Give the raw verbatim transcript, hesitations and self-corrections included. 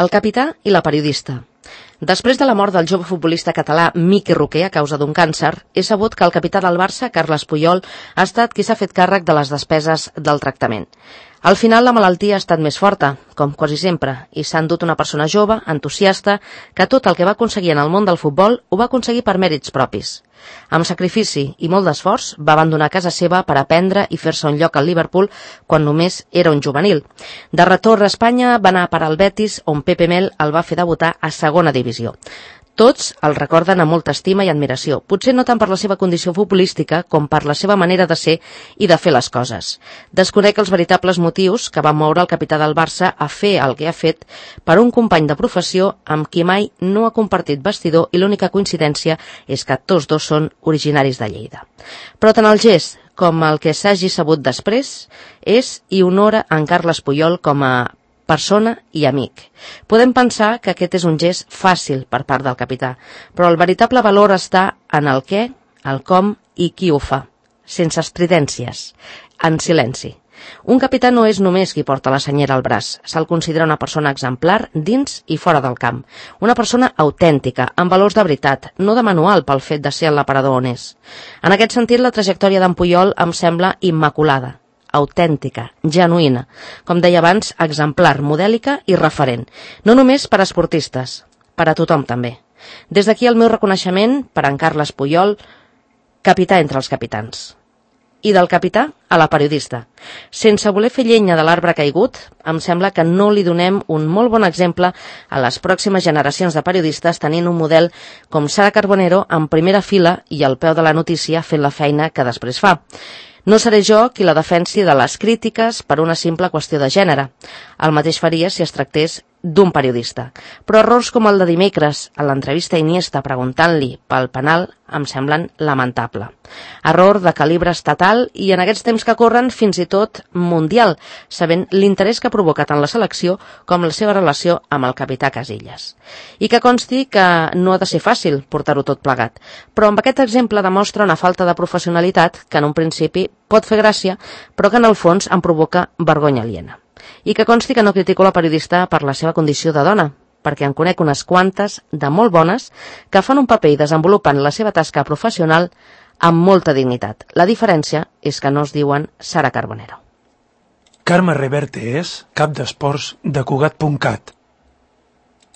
El capità i la periodista. Després de la mort del jove futbolista català Miqui Roquer a causa d'un càncer, és sabut que el capità del Barça, Carles Puyol, ha estat qui s'ha fet càrrec de les despeses del tractament. Al final la malaltia ha estat més forta, com quasi sempre, i s'ha endut una persona jove, entusiasta, que tot el que va aconseguir en el món del futbol ho va aconseguir per mèrits propis. Amb sacrifici i molt d'esforç va abandonar casa seva per aprendre i fer-se un lloc al Liverpool quan només era un juvenil. De retorn a Espanya va anar a parar al Betis, on Pepe Mel el va fer debutar a segona divisió. Tots el recorden amb molta estima i admiració, potser no tant per la seva condició futbolística com per la seva manera de ser i de fer les coses. Desconec els veritables motius que van moure el capità del Barça a fer el que ha fet per un company de professió amb qui mai no ha compartit vestidor i l'única coincidència és que tots dos són originaris de Lleida. Però tant el gest com el que s'hagi sabut després és i honora en Carles Puyol com a persona i amic. Podem pensar que aquest és un gest fàcil per part del capità, però el veritable valor està en el què, el com i qui ho fa, sense estridències, en silenci. Un capità no és només qui porta la senyera al braç, se'l considera una persona exemplar dins i fora del camp, una persona autèntica, amb valors de veritat, no de manual pel fet de ser l'aparador on és. En aquest sentit, la trajectòria d'en Puyol em sembla immaculada, autèntica, genuïna, com deia abans, exemplar, modèlica i referent, no només per a esportistes, per a tothom també. Des d'aquí el meu reconeixement per a en Carles Puyol, capità entre els capitans. I del capità a la periodista. Sense voler fer llenya de l'arbre caigut, em sembla que no li donem un molt bon exemple a les pròximes generacions de periodistes tenint un model com Sara Carbonero en primera fila i al peu de la notícia fent la feina que després fa. No seré jo qui la defensi de les crítiques per una simple qüestió de gènere. El mateix faria si es tractés d'un periodista. Però errors com el de dimecres, a l'entrevista a Iniesta preguntant-li pel penal, em semblen lamentable. Error de calibre estatal i en aquests temps que corren fins i tot mundial, sabent l'interès que provoca tant la selecció com la seva relació amb el capità Casillas. I que consti que no ha de ser fàcil portar-ho tot plegat, però amb aquest exemple demostra una falta de professionalitat que en un principi pot fer gràcia, però que en el fons em provoca vergonya aliena. I que consti que no critico la periodista per la seva condició de dona, perquè en conec unes quantes de molt bones que fan un paper i desenvolupen la seva tasca professional amb molta dignitat. La diferència és que no es diuen Sara Carbonero. Carme Reverte és cap d'esports de Cugat punt cat.